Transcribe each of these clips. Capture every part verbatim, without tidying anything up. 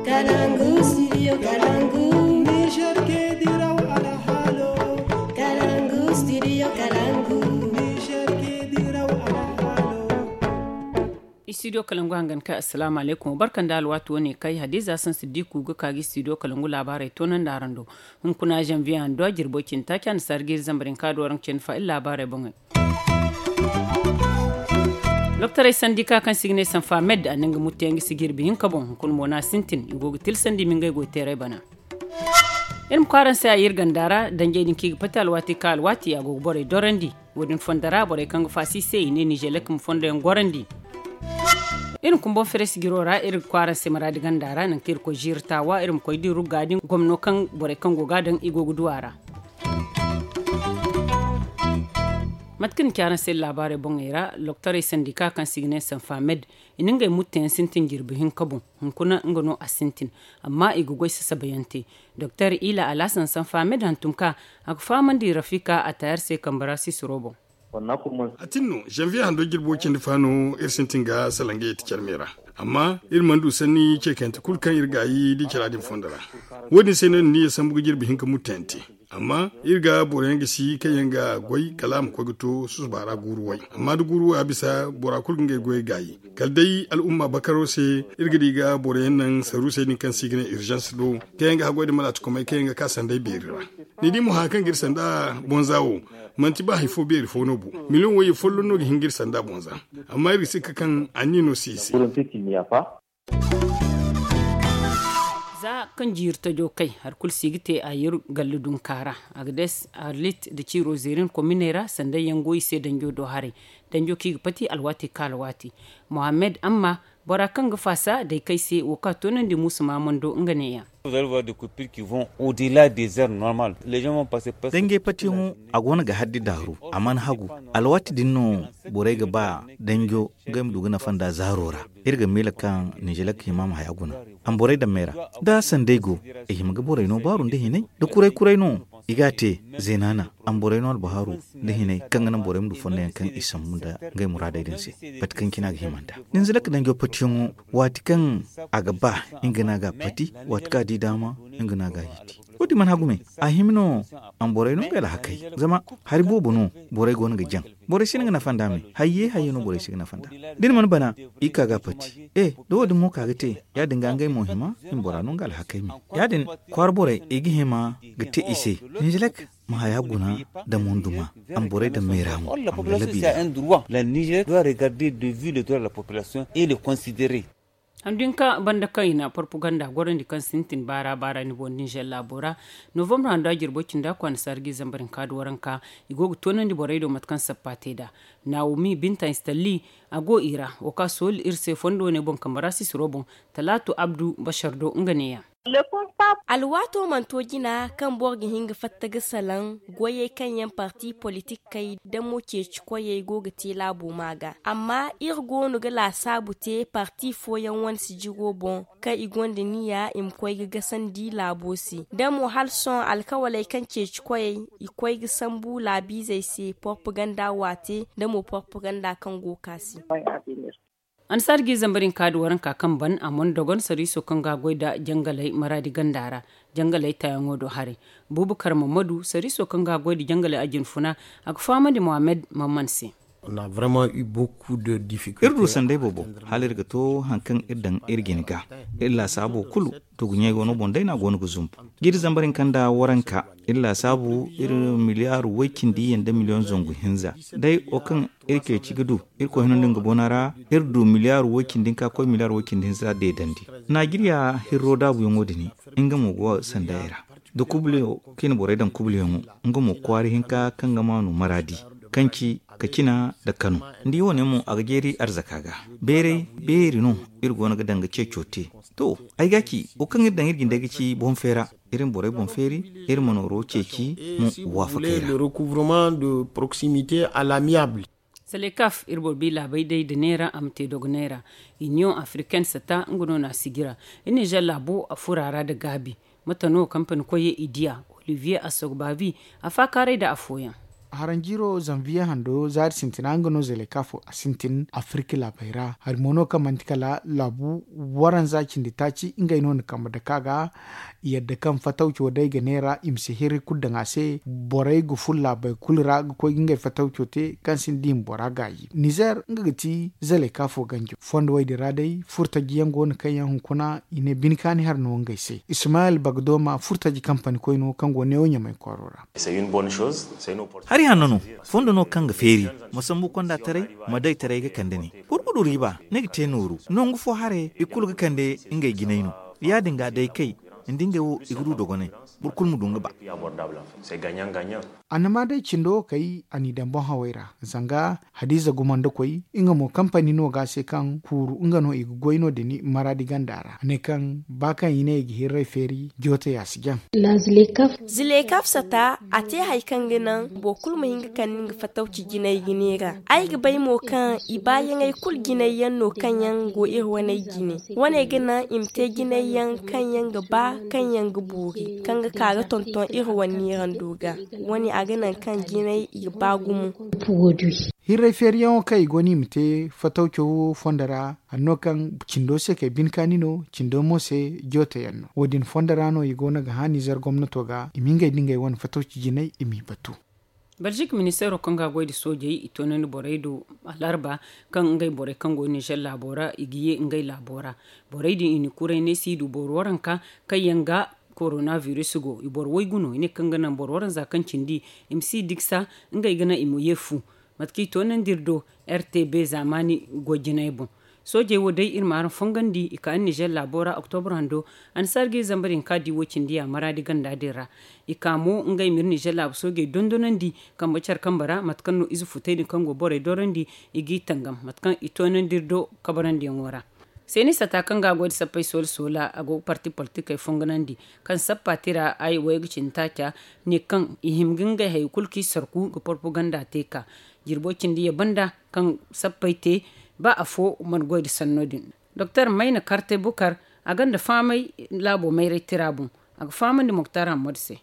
Kalangu, studio Kalangu. Niger ke diraw alhalo. Kalangu, studio Kalangu. Niger ke diraw alhalo. Studio Kalangu hangan kai, assalamu alaikum. Barkan da alwatu wane kai, Hadiza San Siddiku ga kagi studio Kalangu labarai tonan da arando. Hunkuna janvier hando a jirbo cinta kyan sargir zambarin kaduwaran cin fa'il labarai bangai. Doktoray sandika kaŋ si ga ne sanfa med a na nga muttu yaŋ ga si jirbi hinka boŋ hunkuna mo no a sintin i go ga tilsandi ma ngey goy teeray bana. Iri ma kwaaraŋ se a iri ganda ra danjey din kaŋ i ga pati alwaati ka alwaati a go ga borey dorandi. Wo- din fondo ra borey kaŋ ga faasi i se i ne nizelek ma fondo yaŋ gorandi. Iri ma kumboŋ feres jiro ra iri ga kwaaraŋ se maraadi ganda ra nangu kaŋ iri koy ziiri taawa iri ma koy di rugga din gomno kaŋ borey kaŋ go ga a daŋ i go ga du a ra. Mate kaŋ ni ci araŋ se iri laabaarey boŋey ra, loktorey sandika kaŋ se i ga ne sanfa med, i na ngey mutteyaŋ sintin jirbi hinka boŋ. Hunkuna nga no a sintin, amma i ga goy sasabayaŋ te. Doktor ila alhasan sanfa med hantum ka a ga fahamandi rafika a taayar se kambe ra sisiro boŋ. A tin no, janvier hando jirbo cindi fa no iri sintin ga salaŋ ga yeti care me ra. Amma iri mana du sanni ce kayante kulu kaŋ iri gaayi da i cara din fondo ra. Wo- din se no iri na iyye sambu ga jirbi hinka mutteyaŋ te. Amma iri ga boro yaŋ ga si kaŋ yaŋ ga goy kala a ma koy ga to susuba ra guuru way. Amma da guuru way a bisa bora kulu ga ngey goyey gaayi, kala day al'umma bakaro se. Iri ga di ga boro yaŋ naŋ saruusey din kaŋ se i ga ne urgence do, kaŋ yaŋ ga haggoy nda malaatikomey kaŋ yaŋ ga ka sanday beeri ra. Ni di mo haya kaŋ ga iri sanda bonza wo, manti ba hari fo beeri fo no bo. Miliyoŋ wayye folloŋ no ga hin ga iri sanda bonza. Amma iri ga sikka kaŋ anniya no si i se. Za kaŋ jiiri tajo kay hari kulu si ga te a yir gallu dunka ra. Agades, arlit nda ciiro zeerin kominey ra sanday yaŋ go i se danjo do haray. Danjo kaŋ i ga pati alwaati ka alwaati. Mohammed amma, bora kaŋ ga faasa day kay se wo kaŋ a toonandi muusu maamando nga neeya. Dangey patiyaŋo a go no ga haddi daaru. A mana hagu. Alwaati din no borey ga ba danjo ngey ma du ga nafa nda zaaro ra. Iri ga miila kaŋ nizelek hima ma haya guna. Amborey dammey ra, da sanday go, i hima ga borey no baaru nda hinay. Da kuray kuray no, i ga a te. Zeenaana, amborey no albahaaru nda hinay kaŋ ga naŋ borey ma du fondoyaŋ kaŋ i sambu nda ngey muraadey din se. Pati kaŋ cine a ga hima nda ninzelek danjo patiyaŋo, waati kaŋ a ga ba nga no a ga a pati, waati kaŋ a di daama, nga no a ga a yeti. Wo- din mana hagu me. A hima no, amborey no ngey alhakey. Zama hari boobo no borey go no ga jaŋ. Borey si no ga nafa nda me. Hayye hayye no borey si ga nafa nda. Da ni mana bana, i ka ga a pati. E, da wo- din mo ka ga te, ya- din ga ngey mo hima, i ma bora no nga alhakey me. Ya- din, kwaara borey i ga hima ga te i se. Nizelek ma haya guna nda monduma. Amborey dammey ra mo. Amborey labi ra. La niger doit regarder de vue le droit de la population et le considérer. Handu hinka banda kaŋ i na porpuganda gorandi kaŋ sintin baara baara ni boŋ ninzeer laabo ra. Novembre hando a jirbo cindi a kwaana sargi zambar hinka da waranka. I go ga toonandi borey do mate kaŋ sappa te nd'a. Nawomi binta installi, a go i ra. Wo kaŋ a sooli iri se fondo wane boŋ kambe ra sisiro boŋ. Talaatu abdu bashar do nga neeya. Alwaato mana to jina kaŋ boro ga hin ga fatta ga salaŋ goyey kaŋ yaŋ parti politikey damo ceeci koyey go ga te laabo ma ga. Amma iri go no ga laasaabu te parti fooyaŋ wane sijiro boŋ kaŋ i gonda niya i ma koy ga gasandi laabo se. Damo hala sohõ alkawaley kaŋ ceeci koyey i koy ga sambu laabiizey se porpaganda waate damo porpaganda kaŋ go ka se. Annasaari ga i zambar hinka da waranka kaŋ ban a mana dogon sariiso kaŋ ga a goy nda jangaley maraadi ganda ra. Jangaley taayaŋo do haray. Buubu karma madu sariiso kaŋ ga a goy nda jangaley a jinfuna. A ga fahamandi mohammed mamman se. Iri du sanday boobo hala iri ga to hari kaŋ iri daŋ iri jine ga. Iri laasaabo kulu tugu ɲey wano boŋ day no a go no ga zumbu. Jiiri zambar hinka nda waranka iri laasaabu iri miliyaaru way-cindi yaŋ nda miliyoŋ zangu hinza. Day wo kaŋ iri ceeci ga du irkoy hino nda nga bona ra. Iri du miliyaaru way-cindi hinka koy miliyaaru way-cindi hinza deedandi. Najeriya hirro daabuyaŋo din nga mo go sanday ra. Da kubliyo kaŋ i na borey daŋ kubliyaŋo nga mo kwaara hinka kaŋ ga maanu maraadi kaŋ ci kacina nda kano. Ni di wo- ne mo a ga jeeri arzaka ga. Beeray beeri no iri go no ga daŋ ga ceeco te. To, ay ga ci wo kaŋ iri daŋ iri jindey ga ci boŋ feera. Iri ma borey boŋ feeri, iri ma nooro ceeci mo waafakey ra. Salekaf iri boro bi laabey day nda neera a ma te dogonay ra. Iniyoŋ afriken sata nga no no a sijira. Iri nizer laabo a furo a ra nda gaabi. Mate no kampani koyey i diya? Olivier assogbavi a faakaaray nda afooyaŋ. Haranjiiro zanviye hando zaari sintina nga no zalay kaafo a sintin afirka laabey ra hari mo no kaŋ manti kala laabu waranza cindi taaci ngey no na kambe dake a ga. Yadda kaŋ fatawco day ga neera i ma si hirri kulu daŋ a se. Borey ga fun laabey kulu ra ga koy ga ngey fatawco te kaŋ sinda i ma bora gaayi nizer nga ga ti zalay kaafo ganjo fondo wey din ra day furtaji yaŋ go no kaŋ yaŋ hunkuna i ne bine kaani hari no ngey se ismayel bagdoma furtaji kampani koyno kaŋ go neewo ɲamay kwaaro ra. Hari hanno no fondo no kaŋ ga feeri ma sambu konda taray ma day taray ga kande ne. Gurgudu riiba ni ga te nooru nangu fo haray i kulu ga kande ngey jinay no. Ya- din ga day kay ni di ngey wo i ga du dogonay boro kulu ma du nga ba. Annama day cindo wo kay a n'i daŋ boŋ hawey ra zanga hadiiza gumandakoy nga mo kampani no ga a se kaŋ kuuru nga no i ga goy no- din maraadi ganda ra a ne kaŋ ba kaŋ i ne i ga hirray feeri jootey a si jaŋ. Zilekaf sata a te hari kaŋ ga naŋ boro kulu ma hin ga kande nga fatawci jinay ga neera. Ay ga bay mo kaŋ i baayaŋey kulu jinay yaŋ no kaŋ yaŋ go iri waney jine. Wane ga naŋ i ma te jinay yaŋ kaŋ yaŋ ga ba kaŋ yaŋ ga boori kaŋ ga ka ga tonton iri wane neerando ga. Wane a ga naŋ kaŋ jinay i ga ba gumo. Hirray feeriyaŋo kaŋ i go no i ma te fatawco wo fondo ra hanno kaŋ cindo se kay bine kaani no cindo mo se joote yaŋ no wo- din fondo ra no i go no ga hã nizer gomnato ga i ma ngey nda ngey wane fatawci jinay i m'i batu. Balzik ministeero kaŋ ga a goy nda soojey i toonandi borey do alarba kaŋ ngey borey kaŋ go nizer laabo ra i ga ye ngey laabo ra. Borey din i na kuray ne si du boro waranka kaŋ yaŋ ga korona biris go i boro waygu no i ne kaŋ ga naŋ boro waranza kaŋ cindi i ma si digsa ngey ga naŋ i ma ye fu. Mate kaŋ i toonandi iri do r t b zaamaani goy jinay boŋ. Soojey wo day iri ma araŋ fongandi i ka iri nizer laabo ra oktobre hando. Annasaara ga iri zamba din ka di wo cindi ya maraadi ganda din ra. I ka mo ngey ma iri nizer laabu soojey dondonandi kambe care kambe ra mate kaŋ no ize futey din kaŋ go borey dorandi i g'i tangam mate kaŋ i toonandi iri do kabarandiyaŋo ra. Seeni sata kaŋ ga a goy nda sappey soola soola a go ga parti politikey fonganandi kaŋ sappa tira ay wayga cindi taaca ne kaŋ i hima ga ngey hari kulu kaŋ i sarku ga porpoganda te ka jirbo cindi ye banda kaŋ sappey te ba afo mana goy nda sanno din. Doktor mayna karte bukar a gonda faamay laabo mayray tira boŋ. A ga fahamandi moktar hammadu se.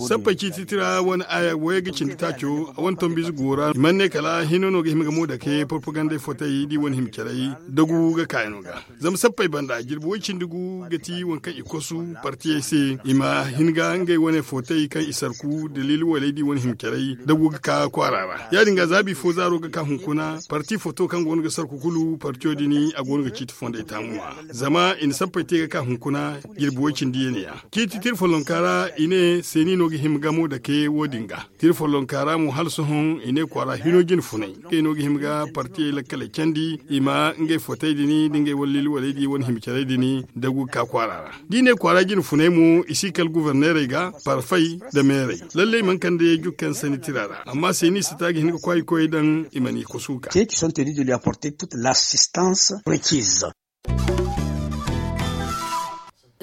Sappey ciiti tira wane aya wayga cindi taaco a wane tombiize go ra i mana ne kala hino no ga hima ga mo dake porpogandey fotey da i wane hima caray dagu ga kaayano ga. Zama sappey banda jirbi way cindi gu ga ti waŋ kaŋ i kosu partiyey se i ma hin ga ngey wane footay kaŋ i sarku daliili waley da i wane hima caray dagu ga ka kwaara ra. Ya- din ga zaabi fo zaaro ga ka hunkuna parti footo kaŋ go no ga sarku kulu partiyo din a go no ga ciiti fondey taamu ŋwa. Zama i na sappey te ga ka hunkuna jirbi way cindi ya ne ya ciiti tira follonka ra i ne seeni no ga hima gamo dake wo- din ga. Tira follonka ra mo hala sohõ i ne kwaara hino jine funay ngey no ga hima ga partiyey lakkaley candi i ma ngey footay din da ngey walliili waley da i wane hima caray din dagu ga ka kwaara ra. Da i ne kwaara jine funay mo i si kala guborneerey ga parfay nda meerey. Lallay mana kande jukkey nda sanni tira ra amma seeni sata ga hin ga kwaay ga koy daŋ i mana i kosu ga.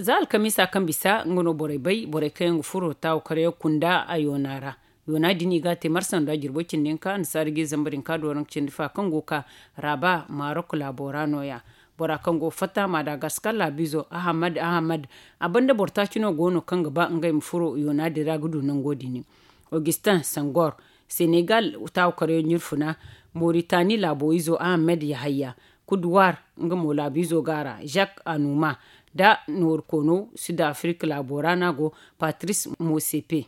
Za alkamiisa kaŋ bisa nga no borey bay borey kaŋ yaŋ ga furo taawu karyaŋ kunda a yoona ra. Yoona din i ga a te marsa nda jirbo cindi hinka annasaara ga i zamba din ka dooraŋ cindi fa kaŋ go ga ka raaba marok laabo ra no- ya. Bora kaŋ go ga fatta madagaskar laabiizo ahamad ahamad. A banda boro taaci no go no kaŋ ga ba ngey ma furo yoona din ra ga du nango din. Augustin sangor senegal taawu karyaŋ ɲirfuna, moritani laabo izo ahamad yahayya, kuduwar nga mo laabiizo go a ra, jak anuma, nda nooru koono sud afirika laabo ra no a go, patris mosepe.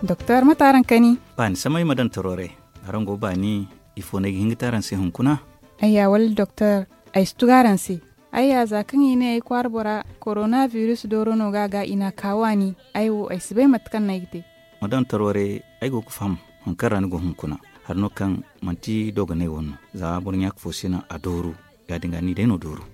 Doktor mate araŋ kani? Baani samay ma daŋ toroore. Araŋ go baani? Ifo no ay ga hin ga te araŋ se hunkuna? Ayya wala doktor, ay si tugu araŋ se. Ayya za kaŋ i ne ay kwaara bora korona biris dooro no ga a ga i n'a ka waani. Ay wo ay si bay mate kaŋ no ay ga te. Ma daŋ toroore. Ay go ga faham hari kaŋ ra ni go hunkuna. Hari no kaŋ manti dogonay wane no. Za boro ɲaaka fo si naŋ a dooru. Ya- din ga ni day no dooru.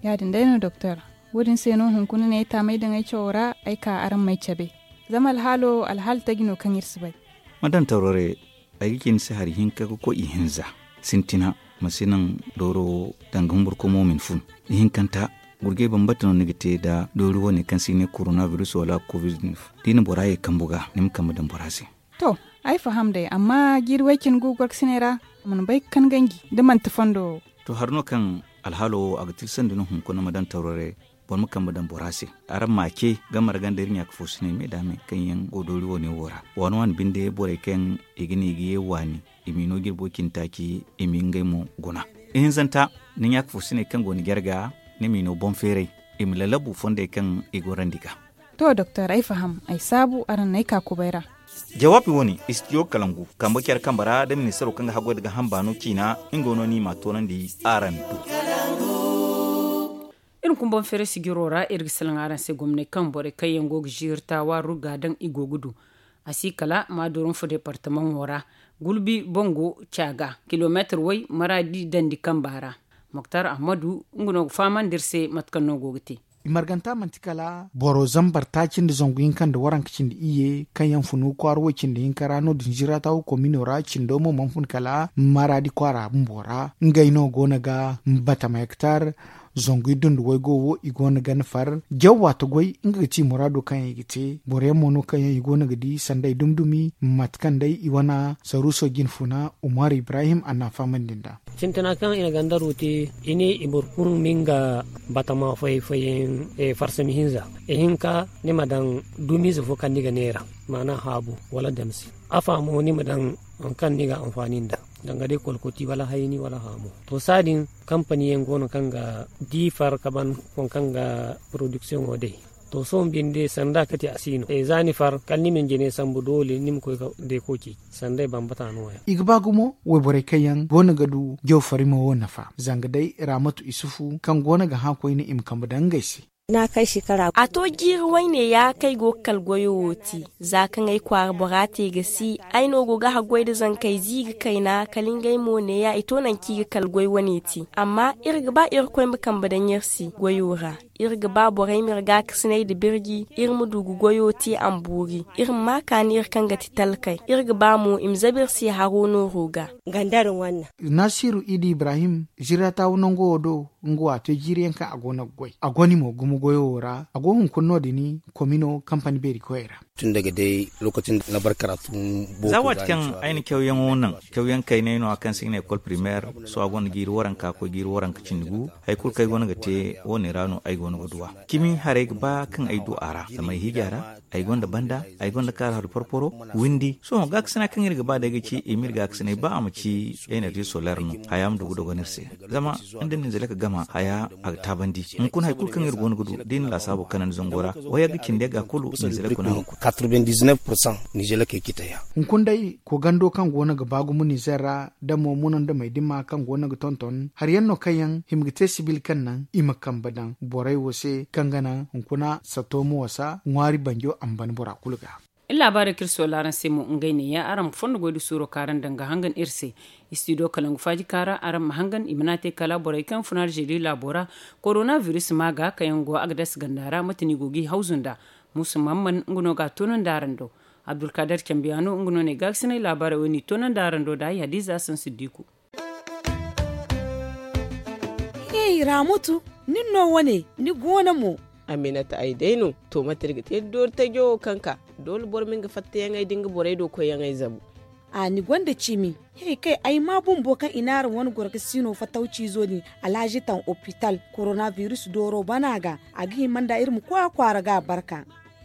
Ya- din day no doktor. Wo- din se no hunkuna ne ay taamay daŋ ay cawo ra ay ka araŋ m'ay cabe. Zama alhaalo alhaala taji no kaŋ iri si bay. Ma daŋ toroore. Ay ga ci ni se hari hinka ga koy ihinza. Sintina ma si naŋ dooro wo danga humbur komo ma ni fun. Ihinkanta gurjay bambata no ni ga te nda doori wane kaŋ se i ne korona biris wala kovid. Da i na bora ye kambu ga ni ma kambe daŋ bora se. To, ay faham day amma jiiri way cine gu gorkasiney ra a mana bay ga kan ganji da manti fondo wo. To hari no kaŋ alhaalo wo a ga tilsandi no hunkuna ma daŋ tawrare. boro ma kambe daŋ bora se. Araŋ ma a ce ga marga nda iri ɲaaka fo sinay me da me kaŋ yaŋ go doori wo ne wo ra waani waani binde borey kaŋ i ga ne i ga ye waani, i m'i no jirbo cindi taaci, i m'i ngey mo guna. Ihinzanta, ni ɲaaka fo sinay kaŋ go ni jarga, ni m'i no boŋ feeray, i ma lalabu fondey kaŋ i gorandi ga. To doktor, ay faham, ay saabu araŋ n'ay ka kubay ra. Jawaabi wo-ne, istidiyo kalangu kambe care kambe ra da ministaro kaŋ ga haggoy nda gaaham baano ciina, nga no ni m'a toonandi araŋ do. Iri ma kumbaŋ feeray sijiro ra, iri ga salaŋ araŋ se gomnay kaŋ borey kaŋ yaŋ go ga ziiri taawa rugga daŋ i go ga du. A si kala maadurum fo deepartamaŋo ra, gulbi bango caaga kilomeetir way maraadi dandi kamba ra. Moktar ahmadu, nga no ga fahamandi iri se mate kaŋ no go ga te. I marganta manti kala boro zambar taaci nda zangu hinka nda waranka cindi iyye kaŋ yaŋ funu kwaara way cindi hinka ra no- din zirata wo komino ra cindo mo mana fun kala maraadi kwaara bumbo ra. Ngey no go no ga batama hektar zangu iddu nda waygo wo i go no ga ni far jaw waati goy. Nga ga ti muraado kaŋ yaŋ i ga te boro yaŋ mo no kaŋ yaŋ i go no ga di sanda i dumi dumi mate kaŋ day i wane saruuso jine funa umar ibrahim a na a fahamandi nd'a. Sintina kaŋ i na gandaro te, i ne i boro kulu ma nga batama fay fayyaŋ farsami hinza. Ihinka ni ma daŋ dumiize fo kaŋ ni ga neera maana haabu wala damsi. Afa mo ni ma daŋ waŋ kaŋ ni ga anfaani nd'a, danga day kolkoti wala hayni wala haamu. To saadin kampani yaŋ go no kaŋ ga di far ka ban waŋ kaŋ ga porodiksiyoŋo day. To sohõ binde sanda kate a si no za ni far kala ni ma ni jine sambu doole ni ma koy ka deeko ceeci. Sanda ay bambata no- ya. I ga ba gumo wayborey kaŋ yaŋ go no ga du jaw farimo wo nafa zanga day raamatu isufu kaŋ go no ga hã koyne i ma kambe daŋ ngey se. A to jiiri wayne ya kaŋ ay go ga kala goyo wo te. Za kaŋ ay kwaara bora te ga si ay no go ga haggoy nda zankey ziiri kayna kala ngey mo neeya i to nangu kaŋ i ga kala goy wane te. Amma iri ga ba irkoy ma kambe daŋ iri se goyo ra. Iri ga ba borey ma iri gaakasinay nda birji iri ma du ga goyo te a ma boori. Iri ma ma kaani iri kaŋ ga ti talkey iri ga ba mo i ma zabu iri se haro nooro ga. Nasiru idi ibrahim ziratawa nango wo do. Nga wo a te jiiri yaŋ kaŋ a go no ga goy a goni mo gumo goyo wo ra a go hunkuna no- din komino kampani beeri koyey ra. Tun daga day lokacin da na bar karatu. Za waati kaŋ ay na cawyaŋo naŋ cawyaŋ kaynay no- ya kaŋ se i ga ne ekol primeer. Sohõ a gonda jiiri waranka koy jiiri waranka cindi gu. Hari kulu kaŋ ay go no ga te wo- ne ra no ay go no ga duw'a. Cimi haray ga ba kaŋ ay du a ra zama ay hiiji a ra. Ay gonda banda, ay gonda kaara hari porporo windi sohõ gaakasina kaŋ iri ga ba day ga ci i ma iri gaakasinay ba a ma ci enerji soler no haya ma du ga dogon iri se. Zama nda ninzele ka gama haya a ga taabandi. Hunkuna hari kulu kaŋ iri go no ga du da i na laasaabo kanandi zango ra wayagga cindi yagga kulu ninzele kuna no. Hunkuna day ko gando kaŋ go no ga ba gumo nizer ra da mo munandamey dima kaŋ go no ga tonton hari yaŋ no kaŋ yaŋ hima ga te sibil kaŋ naŋ i ma kambe daŋ borey wo se kaŋ ga naŋ hunkuna sato ma wasa ŋwaari banjo a ma ban bora kulu ga. Iri laabaarey kaŋ iri soola araŋ se mo ngey neeya araŋ ma fondo goy nda suuro kaŋ araŋ daŋ ga hangan iri se. Istidiyo kalangu faaji kaara araŋ ma hangan i mana te kala borey kaŋ fun aljeri laabo ra korona biris ma ga kaŋ yaŋ go a ga dasa ganda ra mate no i go ga i hawzu nd'a. Muusa mahamman nga no ga a toonandi araŋ do. Abdulkaadir cambiyaano nga no ne gaakasinay laabaarey wo- ne i toonandi araŋ do nd'a ay hadiiza sansiddiiku. Hey raamatu, nin no wane ni goono mo? Aminata ay day no. To mate iri ga te doori tajo wo kaŋ ka doole boro ma nga fattayaŋey da nga borey do koyyaŋey zabu. A ni gonda cimi. Hey kay ay maa bumbo kaŋ i ne araŋ wane goro ga siino fattawciizo din alhazi taŋ opital korona biris dooro bana ga. A ga hima nda iri ma koy a kwaara ga a barka.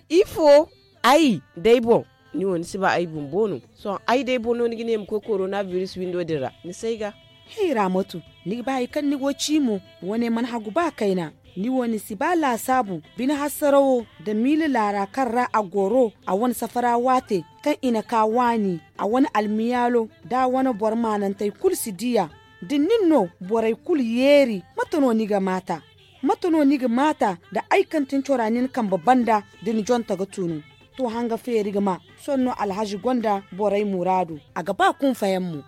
Ifo? Ay day boŋ. Ni wo ni si ba ay bumbo no? Sohõ ay day boŋ no ni ga ne ma koy korona biris windo din ra ni si ay ga. Hey raamatu, ni ga ba hari kaŋ ni go ci mo? Wane mana hagu ba kayna. Ni wo ni si ba laasaabu bine hasarawo nda miila laara kaŋ ra a goro a wane safara waate kaŋ i na ka waani a wane almiyaalo nda a wane boro maanantey kulu si diya. Da nin no borey kulu yeeri mate no ni ga maata? Mate no ni ga maata nda ay kaŋ tin cora nin kambe banda da ni jonta ga tunu? To hanga feeri ga ma sohõ no alhazi gonda borey muraadu. A ga ba kunfayaŋ mo.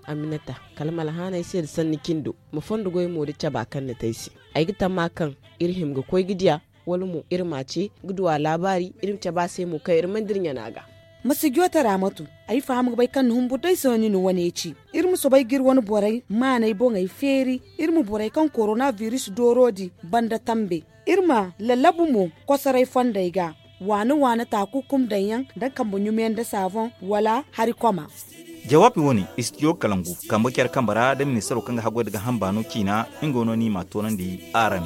Aminata, kala ma alhaanay se nda sanni cindo ma fondo goy mo da caba kaŋ ni te ay se. Ay ga tamma kaŋ iri hima ga koy ga diya wala mo iri ma a ce ga du a laabaari iri ma cabe a se mo kaŋ iri mana dira ɲana ga. Ma si joote raamatu. Ay faham ga bay kaŋ ni humbur day se no ni na wane ci. Iri ma soobay ga iri wane borey maaney boŋey feeri. Iri ma borey kaŋ korona biris dooro din banda tambe. Iri ma lallabu mo kosoray fondey ga waane waane taakukum daŋ yaŋ nda kambe ɲumiyaŋ nda saaboŋ wala hari koma. Jawaabi wo-ne istidiyo kalangu kambe care kambe ra nda ministaro kaŋ ga haggoy nda gaaham baano ciina. Nga wo no ni m'a toonandi araŋ.